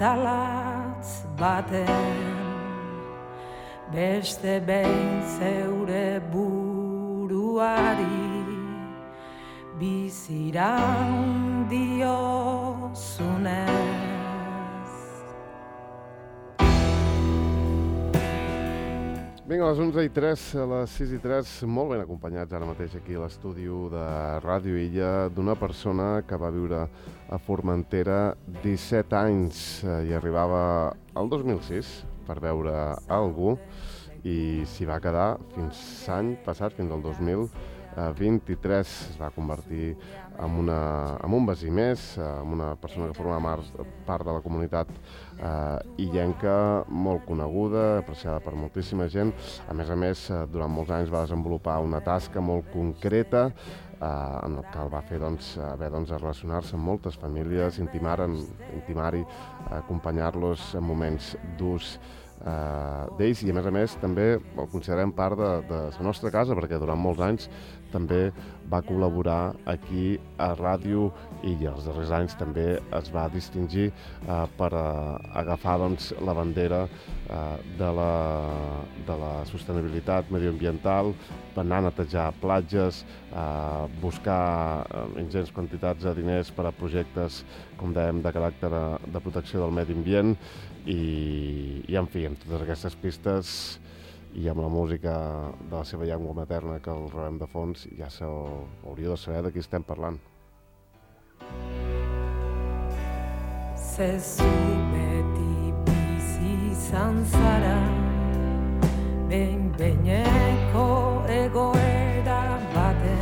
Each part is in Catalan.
atalatz baten, beste behin zeure buruari biziran diozunez. Vinga, a les 11:03, a les 6:03, molt ben acompanyats ara mateix aquí a l'estudi de Ràdio Illa d'una persona que va viure a Formentera 17 anys i arribava al 2006 per veure algú i s'hi va quedar fins l'any passat, fins al 2023. Es va convertir en un veí més, en una persona que formava part de la comunitat illenca, molt coneguda, apreciada per moltíssima gent. A més, durant molts anys va desenvolupar una tasca molt concreta en el que el va fer haver de relacionar-se amb moltes famílies, intimar-hi, acompanyar-los en moments durs d'ells, i a més també el considerem part de la nostra casa, perquè durant molts anys també va col·laborar aquí a Ràdio Illa. Els darrers anys també es va distingir per agafar la bandera de la sostenibilitat mediambiental, anar a netejar platges, buscar ingents quantitats de diners per a projectes, com dèiem, de caràcter de protecció del medi ambient, i en fi, amb totes aquestes pistes i amb la música de la seva llengua materna que el rebem de fons, ja hauríeu de saber de qui estem parlant. Zezu beti bizi izan zara, behin-behineko egoera baten.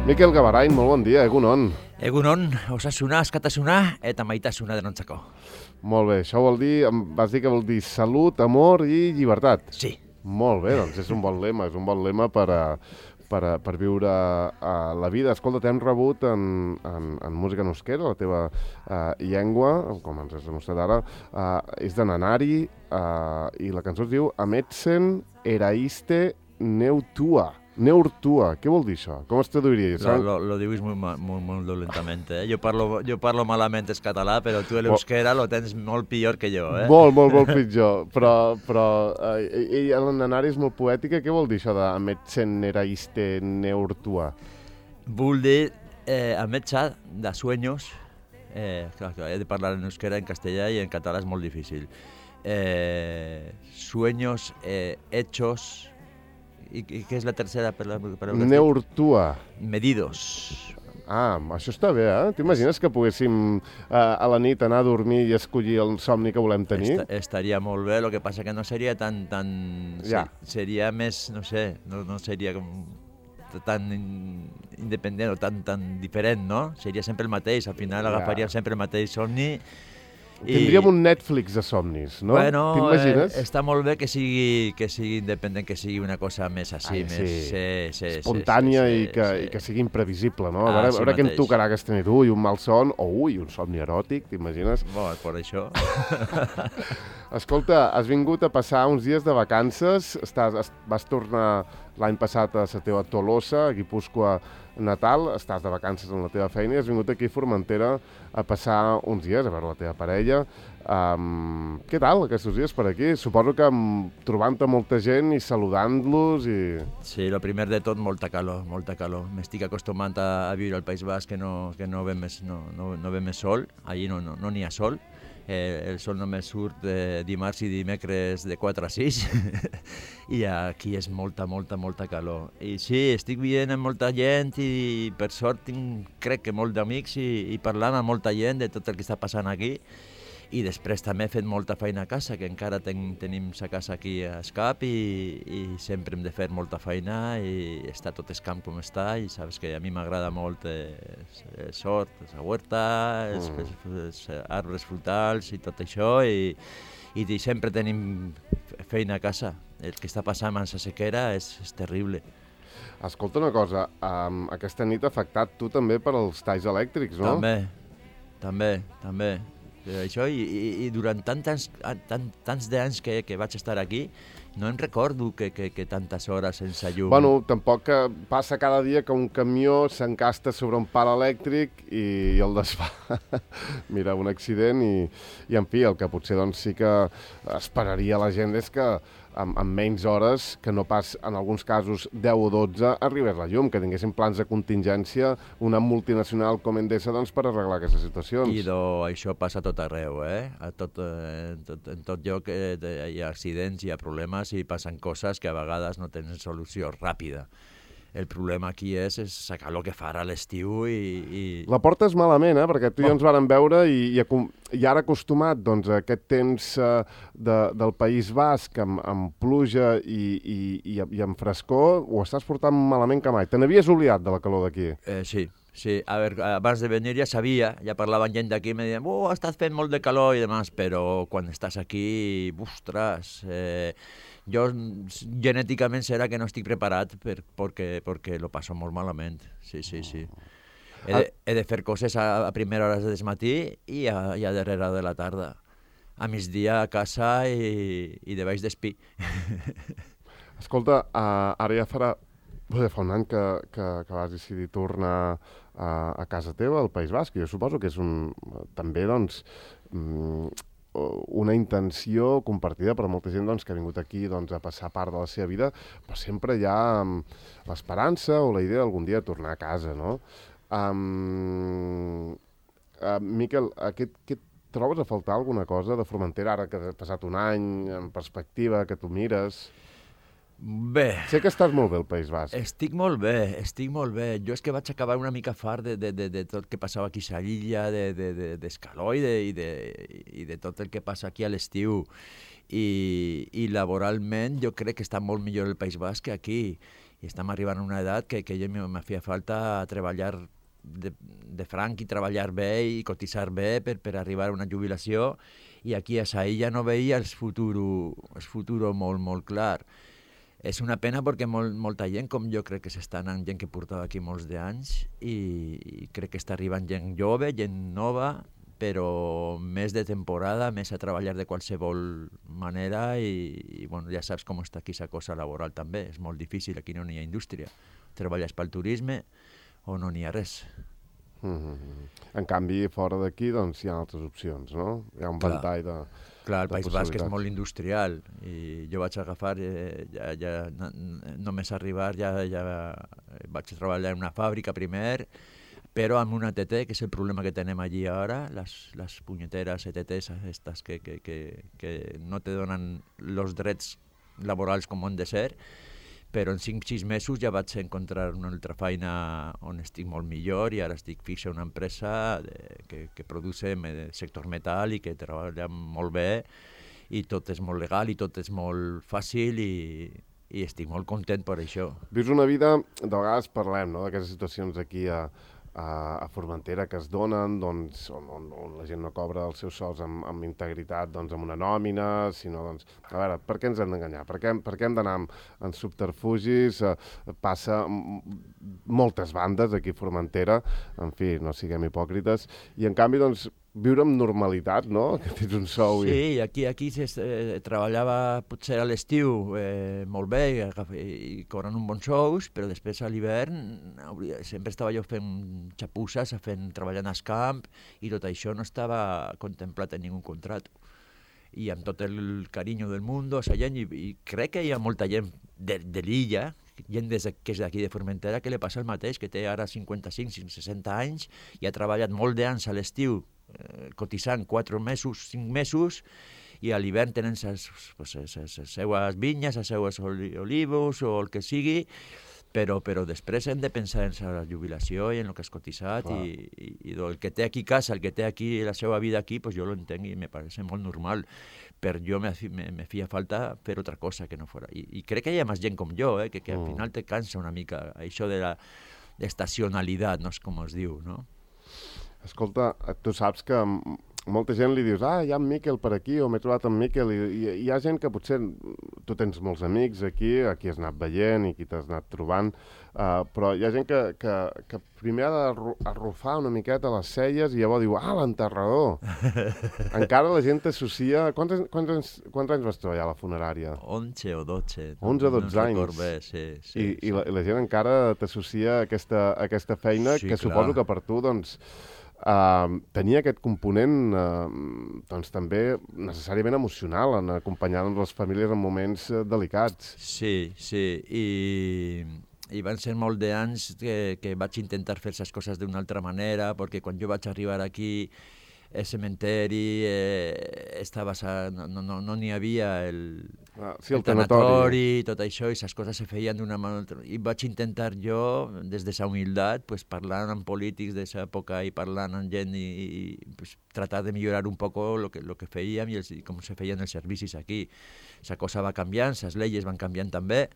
Mikel Gabarain, molt bon dia, egunon. Egunon, osasuna, askatasuna eta maitasuna denontzako. Molt bé, això vol dir, em vas dir que vol dir salut, amor i llibertat. Sí. Molt bé, doncs és un bon lema per viure la vida. Escolta, t'hem rebut en música en euskera, la teva llengua, com ens has demostrat ara, és de Nanari, i la cançó es diu Ametzen eraiste neutua. Neurtua, què vol dir això? Com es traduiria? Lo dius molt dolentamente, eh? Jo parlo malament el català, però tu l'euskera lo tens molt pitjor que jo, eh? Molt pitjor, però el Nanari és molt poètica. Què vol dir això d'Ametzen eraiste neurtua? Vol dir ametsa de sueños, clar, he de parlar en euskera, en castellà i en català és molt difícil. Sueños hechos. I què és la tercera? Neurtua. Medidos. Això està bé, eh? T'imagines que poguéssim a la nit anar a dormir i escollir el somni que volem tenir? Estaria molt bé, el que passa que no seria tan... Ja. Seria més, no sé, no seria tan independent o tan diferent, no? Seria sempre el mateix, al final agafaríem sempre el mateix somni. Tindríem un Netflix de somnis, no? Bueno, t'imagines? Està molt bé que sigui independent, que sigui una cosa més així, més espontània i que sigui imprevisible, no? A veure què em tocarà aquesta nit. Un malson o un somni eròtic, t'imagines? Bueno, per això. Escolta, has vingut a passar uns dies de vacances, vas tornar l'any passat a la teva Tolosa, a Guipúscoa natal, estàs de vacances en la teva feina i has vingut aquí a Formentera a passar uns dies, a veure la teva parella. Què tal aquests dies per aquí? Suposo que trobant-te molta gent i saludant-los i... Sí, el primer de tot, molta calor. M'estic acostumant a viure al País Basc, que no ve més sol. Allí no n'hi ha sol. El sol només surt dimarts i dimecres de 4 a 6 i aquí és molta calor. I sí, estic veient amb molta gent i per sort crec que molt d'amics i parlant amb molta gent de tot el que està passant aquí. I després també he fet molta feina a casa, que encara tenim la casa aquí a Escap i sempre hem de fer molta feina i està tot el camp com està i saps que a mi m'agrada molt el sort, la huerta, els arbres frutals i tot això i sempre tenim feina a casa. El que està passant amb la sequera és terrible. Escolta una cosa, aquesta nit ha afectat tu també per als talls elèctrics, no? També. Això, i durant tants d'anys que vaig estar aquí No em recordo que tantes hores sense llum. Bueno, tampoc que passa cada dia que un camió s'encasta sobre un pal elèctric i el desfà. Mira, un accident i en fi, el que potser doncs, sí que esperaria la gent és que amb menys hores, que no pas en alguns casos 10 o 12, arribés la llum, que tinguessin plans de contingència, una multinacional com Endesa, doncs, per arreglar aquestes situacions. I això passa a tot arreu, en tot lloc hi ha accidents, hi ha problemes i passen coses que a vegades no tenen solució ràpida. El problema aquí és sacar el que farà a l'estiu i... La portes malament, perquè tu i jo ens vàrem veure i ara acostumat doncs, a aquest temps del País Basc amb pluja i amb frescor, ho estàs portant malament que mai. Te n'havies oblidat de la calor d'aquí? Sí. A veure, abans de venir ja sabia, ja parlaven gent d'aquí i em deien estàs fent molt de calor i demás, però quan estàs aquí, ostres... Jo genèticament serà que no estic preparat perquè lo passo molt malament. Sí. He de fer coses a primera hora del matí i a darrere de la tarda. A migdia a casa i de baix d'espí. Escolta, ara ja fa un any que vas decidir tornar a casa teva, al País Basc. Jo suposo que és també, doncs, una intenció compartida per molta gent doncs, que ha vingut aquí doncs, a passar part de la seva vida, però sempre hi ha l'esperança o la idea d'algun dia tornar a casa, no? Miquel, què trobes a faltar alguna cosa de Formentera ara que ha passat un any, en perspectiva, que tu mires? Bé. Sé que estàs molt bé al País Basc. Estic molt bé. Jo és que vaig acabar una mica fart de tot el que passava aquí a l'illa, d'escaló i de tot el que passa aquí a l'estiu. I laboralment jo crec que està molt millor el País Basc que aquí. I estem arribant a una edat que jo me feia falta treballar de franc i treballar bé i cotitzar bé per arribar a una jubilació. I aquí a sa illa no veia el futur molt, molt clar. És una pena perquè molta gent, com jo crec que s'està anant, gent que portava aquí molts d'anys, i crec que està arribant gent jove, gent nova, però més de temporada, més a treballar de qualsevol manera i bueno, ja saps com està aquí la cosa laboral també, és molt difícil, aquí no hi ha indústria. Treballes pel turisme o no n'hi ha res. En canvi, fora d'aquí doncs, hi ha altres opcions, no? Hi ha un ventall de... Clar, el País Basc és molt industrial i jo vaig agafar, només arribar, ja vaig treballar en una fàbrica primer, però amb una ETT, que és el problema que tenem allí ara, les punyeteres ETTs estas que no te donen els drets laborals com han de ser, però en 5-6 mesos ja vaig encontrar una altra feina on estic molt millor i ara estic fix en una empresa que produce sector metall i que treballa molt bé i tot és molt legal i tot és molt fàcil i estic molt content per això. Vius una vida, de vegades parlem, no?, d'aquestes situacions aquí a Formentera que es donen, doncs, on la gent no cobra els seus sous amb integritat, doncs, amb una nòmina, sinó, doncs, a veure, per què ens hem d'enganyar? Per què hem d'anar en subterfugis? Passa moltes bandes aquí a Formentera, en fi, no siguem hipòcrites, i en canvi, doncs, viure amb normalitat, no? Que tens un sou Sí, aquí treballava potser a l'estiu molt bé i cobrant un bon sous, però després a l'hivern sempre estava jo fent xapusses, treballant al camp i tot això no estava contemplat en ningú contrat. I amb tot el carinyo del món, a gent, i crec que hi ha molta gent de l'illa, gent que és d'aquí de Formentera, que li passa el mateix, que té ara 55, 60 anys i ha treballat molt d'anys a l'estiu, cotitzant 4 mesos, 5 mesos, i a l'hivern tenen les seues vinyes, els seus olivos o el que sigui, però després hem de pensar en la jubilació i en el que has cotitzat i el que té aquí casa, el que té aquí la seva vida aquí, pues jo lo entenc i me parece molt normal, però jo me feia falta fer altra cosa que no fora. I crec que hi ha més gent com jo, que al final te cansa una mica això de l'estacionalitat, no és com es diu, no? Escolta, tu saps que molta gent li dius, hi ha en Miquel per aquí, o m'he trobat en Miquel, i hi ha gent que potser, tu tens molts amics aquí has anat veient i qui t'has anat trobant, però hi ha gent que primer ha d'arrufar una miqueta les celles i llavors diu, l'enterrador. Encara la gent t'associa... Quants anys vas treballar a la funerària? 11 o 12. 11 o 12 anys. Record bé, sí. I la gent encara t'associa a aquesta feina que suposo que per tu, doncs, tenia aquest component doncs també necessàriament emocional en acompanyar les famílies en moments delicats. Sí, i van ser molt d'anys que vaig intentar fer les coses d'una altra manera, perquè quan jo vaig arribar aquí el cementeri no n'hi havia el tanatori, tot això, i les coses se feien d'una manera. I vaig intentar jo, des de la humilitat, pues, parlant amb polítics de l'època i parlant amb gent i pues, tratar de millorar un poc lo que fèiem i com se feien els servicis aquí. La cosa va canviant, les lleis van canviant també,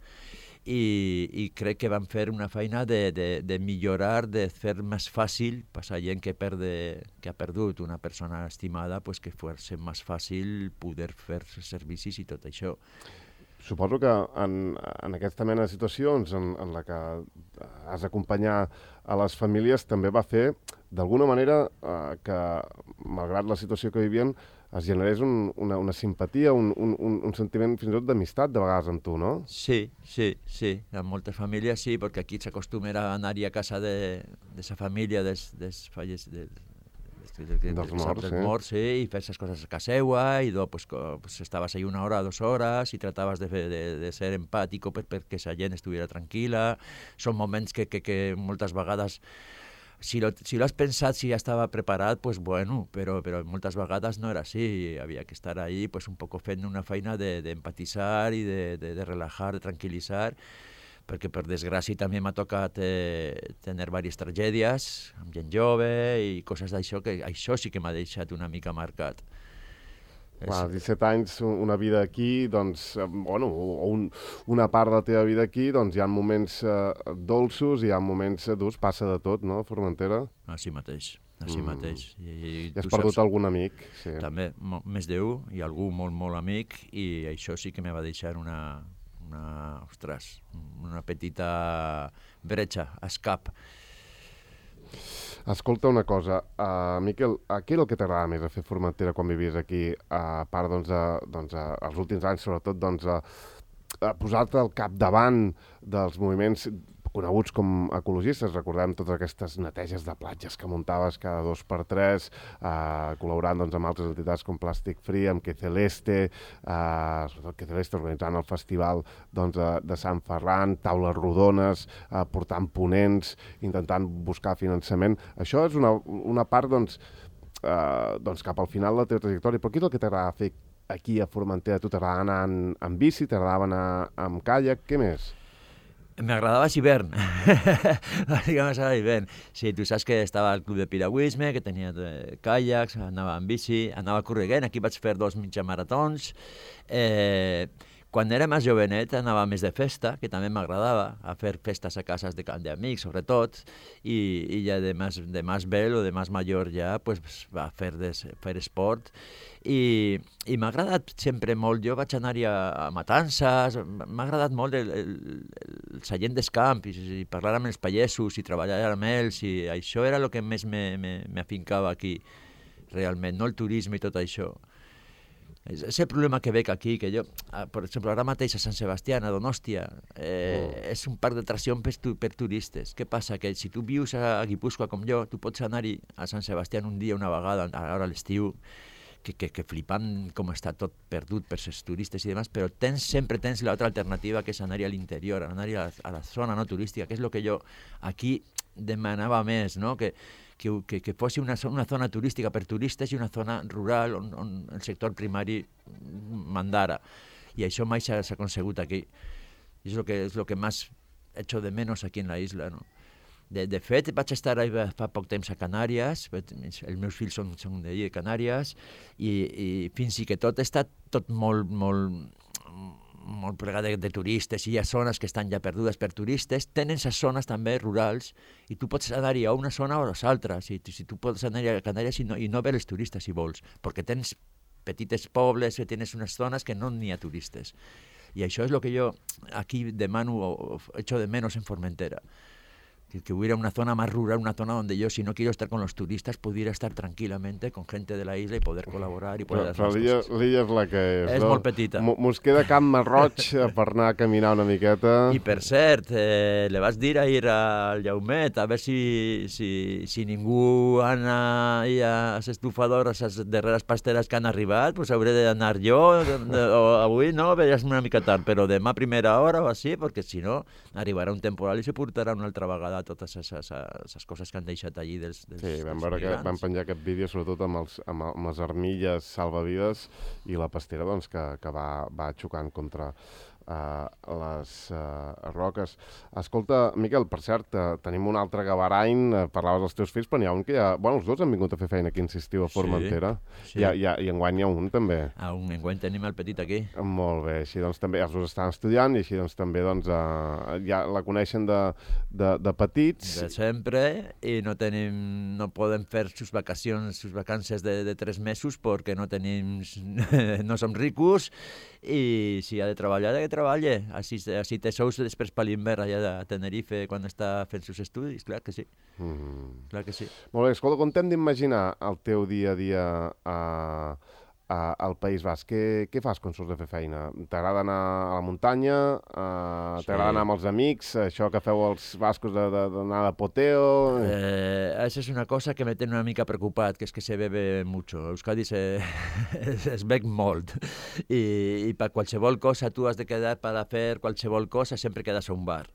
i crec que van fer una feina de millorar, de fer més fàcil per a gent que ha perdut una persona estimada, pues que fos més fàcil poder fer servicis i tot això. Suposo que en aquesta mena de situacions en la que has d'acompanyar a les famílies també va fer, d'alguna manera, que, malgrat la situació que vivien, es generés una simpatia, un sentiment fins i tot d'amistat de vegades amb tu, no? Sí. En moltes famílies sí, perquè aquí s'acostuma a anar-hi a casa de la família dels morts, i fer les coses a casa seva, i pues, estaves ahí 1 hora, 2 hores, i trataves de ser empàtic perquè la gent estiguera tranquil·la. Són moments que moltes vegades, si lo has pensat, si ja estava preparat, pues bueno, però moltes vegades no era així. Havia que estar ahí pues, un poc fent una feina d'empatitzar i de relajar, de tranquil·litzar, perquè per desgràcia també m'ha tocat tenir diverses tragèdies amb gent jove i coses d'això, que això sí que m'ha deixat una mica marcat. 17 anys, una vida aquí, doncs, bueno, una part de la teva vida aquí, doncs hi ha moments dolços i hi ha moments durs, passa de tot, no, Formentera? Així mateix. I has perdut algun amic? Sí. També, més d'1, i algú molt, molt amic, i això sí que me va deixar una petita bretxa, escap. Escolta una cosa, Miquel, què era el que t'agradava més a fer Formentera quan vivies aquí, a part, els últims anys, sobretot, a posar-te al capdavant dels moviments coneguts com ecologistes? Recordem totes aquestes neteges de platges que muntaves cada 2x3, col·laborant amb altres entitats com Plàstic Free, amb Que Celeste, sobretot Que Celeste organitzant el festival de Sant Ferran, taules rodones, portant ponents, intentant buscar finançament. Això és una part cap al final de la teva trajectòria, però què és el que t'agrada fer aquí a Formentera? Tu t'agrada anar en bici, t'agradava anar amb caiac, què més? M'agradava l'hivern, bàsicament era l'hivern. Sí, tu saps que estava al club de piragüisme, que tenia caiacs, anava en bici, anava corrent, aquí vaig fer 2 mitjamaratons. Quan era més jovenet anava més de festa, que també m'agradava, a fer festes a cases d'amics, sobretot, i ja de més vell o de més major ja pues, va fer esport. I m'ha agradat sempre molt, jo vaig anar-hi a matances, m'ha agradat molt la gent dels camps, i parlar amb els pagesos, i treballar amb ells, i això era el que més m'afincava aquí, realment, no el turisme i tot això. És el problema que veig aquí, que jo, per exemple, ara mateix a Sant Sebastià, a Donòstia, és un parc d'atracció per turistes. Què passa? Que si tu vius a Guipúscoa com jo, tu pots anar-hi a Sant Sebastià un dia, una vegada, ara a l'estiu, que flipant com està tot perdut per els turistes i demás, però sempre tens l'altra alternativa, que és anar-hi a l'interior, anar-hi a la zona no turística, que és el que jo aquí demanava més, no? Que fos una zona turística per turistes i una zona rural on el sector primari mandara. I això mai s'ha aconsegut aquí. És el que més echo de menos aquí en la isla, no? De fet, vaig estar fa poc temps a Canàries, els meus fills són d'allí, de Canàries, i fins i que tot està tot molt molt plegada de turistes, i hi ha zones que estan ja perdudes per turistes, tenen les zones també rurals, i tu pots anar-hi a una zona o a l'altra, si tu pots anar a Canàries i no veure els turistes si vols, perquè tens petites pobles, tens unes zones que no n'hi ha turistes. I això és el que jo aquí demano, o echo de menos en Formentera. Que hubiera una zona más rural, una zona donde yo, si no quiero estar con los turistas, pudiera estar tranquilamente con gente de la isla y poder colaborar y poder hacer cosas. L'illa és la que és, és no? molt petita. Mos queda Camp Marroig per anar a caminar una miqueta. I per cert, le vas dir ahir al Jaumet, a veure si ningú ana a les estufadores, a les darreres pasteres que han arribat, pues hauré d'anar jo, o avui no, veuràs una mica tard, però demà a primera hora o així, perquè si no arribarà un temporal i se portarà una altra vegada totes les coses que han deixat allí dels Sí, vam veure que van penjar aquest vídeo sobretot amb les armilles salvavides i la pastera doncs, que va xocant contra les roques. Escolta, Miquel, per cert, tenim un altre gabarany, parlaves dels teus fills, però n'hi ha un que ja... Bueno, els dos han vingut a fer feina aquí, insistiu, a Formentera. Sí. I enguany hi ha un, també. Enguany tenim el petit aquí. Molt bé, així doncs també els dos estan estudiant i així doncs també doncs, ja la coneixen de petits. De sempre, i no podem fer sus vacances de 3 mesos perquè no som ricos, i si ha de treballar, que treballe. Així té sous després per l'hivern allà a Tenerife quan està fent els estudis, clar que sí. Clar que sí. Molt bé, escolta, com t'hem d'imaginar el teu dia a dia al País Basc? Què fas quan surts de fer feina? T'agrada anar a la muntanya? T'agrada anar amb els amics? Això que feu els bascos d'anar de poteo? Això és una cosa que me tiene una mica preocupat, que és que se bebe mucho. A Euskadi es bec molt. I per qualsevol cosa tu has de quedar per a fer qualsevol cosa, sempre quedes a un bar.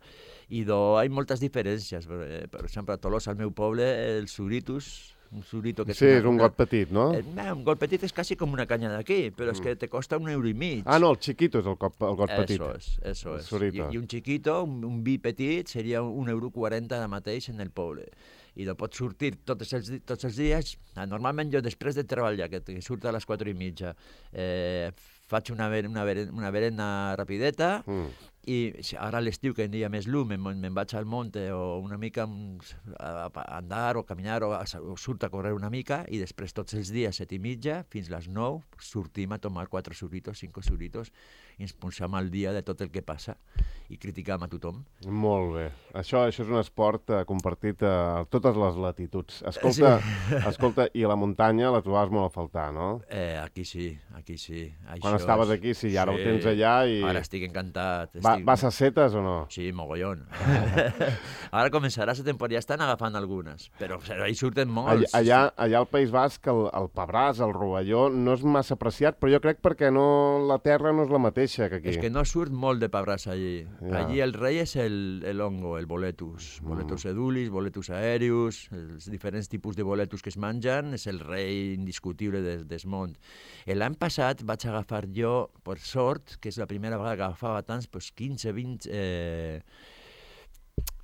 I hi ha moltes diferències. Per exemple, a Tolosa, al meu poble, el Suritus, un surito que sí, és un got petit, no? Un got petit és quasi com una canya d'aquí, però és que te costa €1,5. Ah, no, el chiquito és el got petit. Eso es. Surito. I un chiquito, un vi petit, seria €1,40 ara mateix en el poble. I no pots sortir tots els dies. Normalment jo, després de treballar, que surto a les 4:30, faig una berena rapideta, i ara a l'estiu, que hi ha més llum, me'n vaig al monte o una mica a andar o caminar o surt a córrer una mica, i després tots els dies, 7:30, fins les 9, sortim a tomar 4 suritos, 5 suritos, i ens punxam al dia de tot el que passa i criticam a tothom. Molt bé. Això és un esport compartit a totes les latituds. Escolta, i la muntanya la trobaves molt a faltar, no? Aquí sí. Quan estaves aquí, sí, i ara ho tens allà i... Ara estic encantat. Vas a setes o no? Sí, mogollón. Ara començarà la temporada, ja estan agafant algunes, però ahí surten molts. Allà al País Basc, el pebràs, el rovelló, no és massa apreciat, però jo crec perquè la terra no és la mateixa que aquí. És que no surt molt de pebràs allí. Allí el rei és el hongo, el boletus. Boletus edulis, boletus aèreus, els diferents tipus de boletus que es mengen, és el rei indiscutible del món. L'any passat vaig agafar jo, per sort, que és la primera vegada que agafava tants, 15, 20...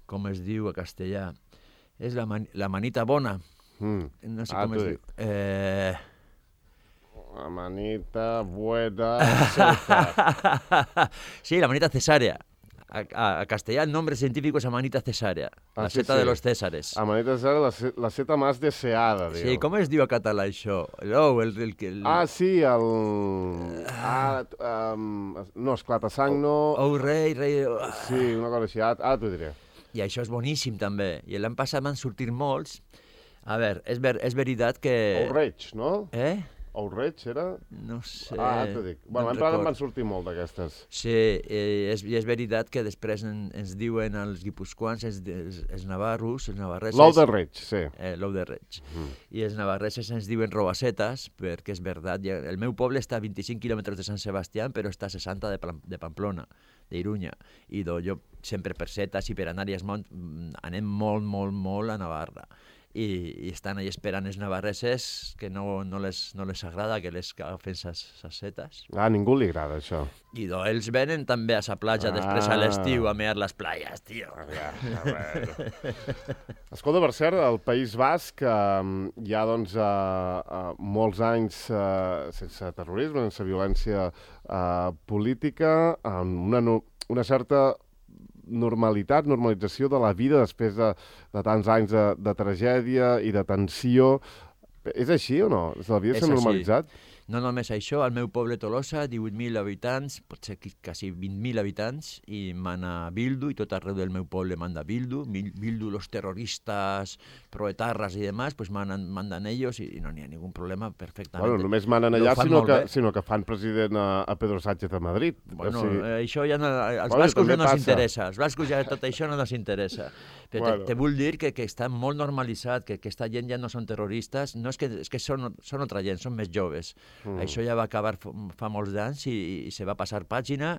com es diu a castellà? És la manita bona. No sé com es diu. La manita buena seta. Sí, la manita cesàrea. A castellà el nombre científico es manita cesàrea, la seta de los Césares. La manita cesàrea, la seta más deseada, diu. Sí, com es diu a català això? Sí, no, esclatasang no... Rei... Sí, una cosa així, ara t'ho diré. I això és boníssim, també. I l'any passat van sortir molts. A veure, és veritat que... Oureig, no? Oureig, era? No sé... t'ho dic. Bueno, l'any passat van sortir molt d'aquestes. Sí, i és veritat que després ens diuen els guipuscoans, els navarros, els navarreses... L'ou de reig, sí. L'ou de reig. I els navarreses ens diuen robacetes, perquè és veritat. El meu poble està a 25 quilòmetres de Sant Sebastià, però està a 60 de Pamplona, d'Irunya. I jo sempre per setes i per anar-hi anem molt, molt, molt a Navarra. i estan allà esperant els navarreses que no les agrada que les agafen ses setes. A ningú li agrada això. I ells venen també a la platja després a l'estiu a mear les playas, tio. Escolta, per cert, al País Basc hi ha doncs, molts anys sense terrorisme, sense violència política, amb una certa normalització de la vida després de tants anys de tragèdia i de tensió. És així o no? La vida s'ha normalitzat? No només això, al meu poble Tolosa, 18.000 habitants, potser quasi 20.000 habitants, i mana Bildu, i tot arreu del meu poble manda Bildu. Bildu, los terroristas, proetarras i demás, pues mandan ellos i no n'hi ha ningú problema, perfectament. Bueno, només manen allà, sinó que fan president a Pedro Sánchez a Madrid. Bueno, això ja no... Als bascos no ens interessa, als bascos ja tot això no ens interessa. Però te vull dir que està molt normalitzat, que aquesta gent ja no són terroristes, no és que són altra gent, són més joves. Això ja va acabar fa molts anys i se va passar pàgina,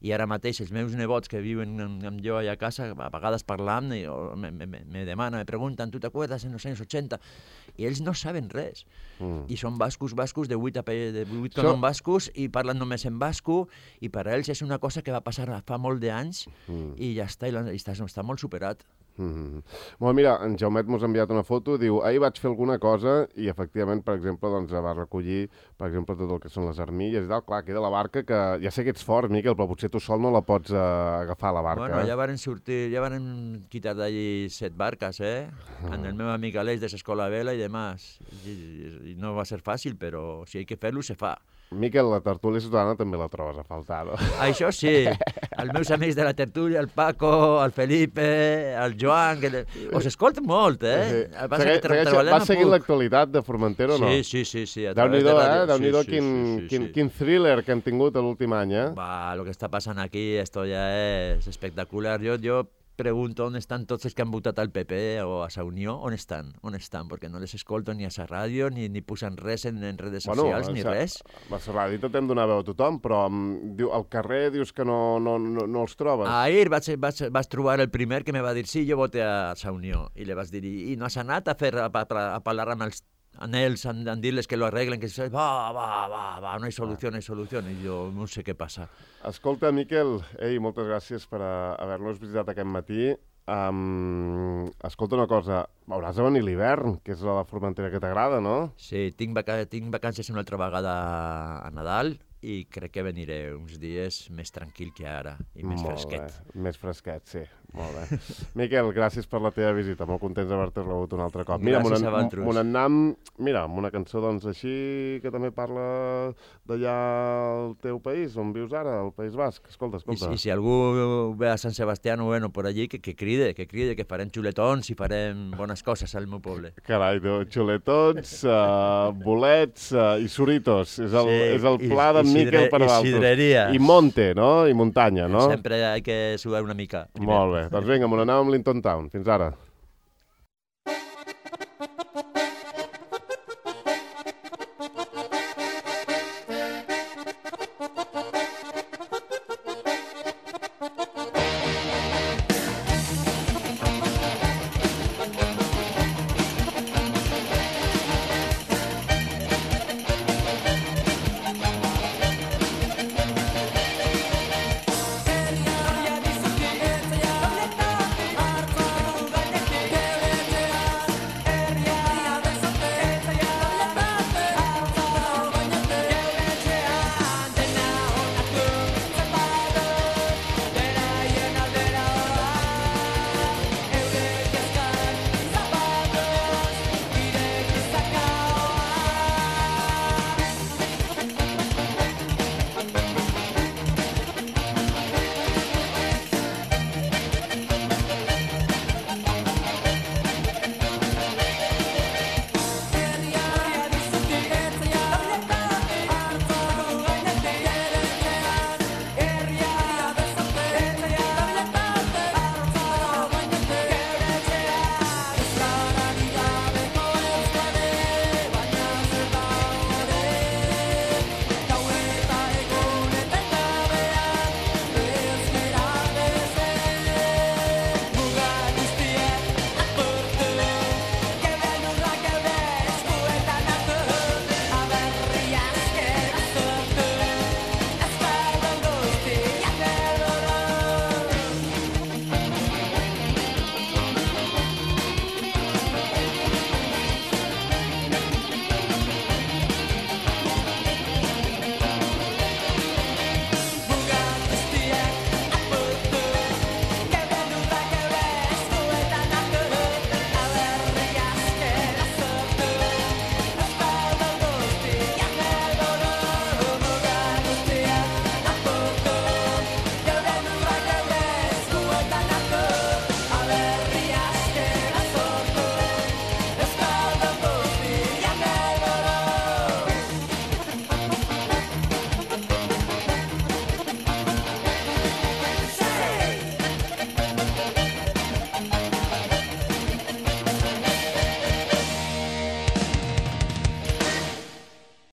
i ara mateix els meus nebots que viuen amb jo allà a casa, a vegades parlant, me demanen, me pregunten, tu t'acuerdas en els anys 80? I ells no saben res. I són bascos de 8 com bascos i parlen només en basco, i per a ells és una cosa que va passar fa molt d'anys i ja està, i està molt superat. Bueno, mira, en Jaumet mos ha enviat una foto, diu, ahir vaig fer alguna cosa i efectivament, per exemple, doncs, va recollir tot el que són les armilles i tal. Clar, queda la barca que ja sé que ets fort, Miquel, però potser tu sol no la pots agafar a la barca. Bueno, ja varen sortir, ja varen quitar d'allí 7 barques, amb el meu amic Aleix de l'escola Vela i demás. I no va ser fàcil, però si hi ha que fer-lo, se fa. Miquel, la tertúlia ciutadana també la trobes a faltar, no? Això sí, els meus amics de la tertúlia, el Paco, el Felipe, el Joan, que us escolten molt, Vas seguint l'actualitat de Formentera o no? Sí. Déu-n'hi-do, Déu-n'hi-do quin thriller que han tingut l'últim any, el que està passant aquí, esto ja és espectacular. Jo pregunto on estan tots els que han votat al PP o a la Unió, on estan? Perquè no les escolto ni a la ràdio, ni posen res en redes socials, ni res. A la ràdio t'hem donat veu a tothom, però al carrer dius que no els trobes. Ahir vaig trobar el primer que me va dir sí, jo voté a la Unió, i li vaig dir, i no has anat a parlar amb els ells, a dir-les que lo arreglen, que va, no hi solució, i jo no sé què passa. Escolta, Miquel, moltes gràcies per haver-nos visitat aquest matí. Escolta una cosa, hauràs de venir l'hivern, que és la Formentera que t'agrada, no? Sí, tinc vacances una altra vegada a Nadal, i crec que veniré uns dies més tranquil que ara, i més fresquet. Més fresquet, sí. Molt bé. Miquel, gràcies per la teva visita. Molt contents d'haver-te rebut un altre cop. Gràcies a vosaltres. Amb una cançó doncs així que també parla d'allà al teu país, on vius ara, al País Basc. Escolta. I si algú ve a Sant Sebastià o per allí, que cride, que farem xuletons i farem bones coses al meu poble. Carai, xuletons, bolets i suritos. És el pla de Miquel per a l'altre. I sidreria. I monte, no? I muntanya, no? Sempre hay que sudar una mica. Molt bé. Doncs vinga, me n'anem amb Linton Town. Fins ara.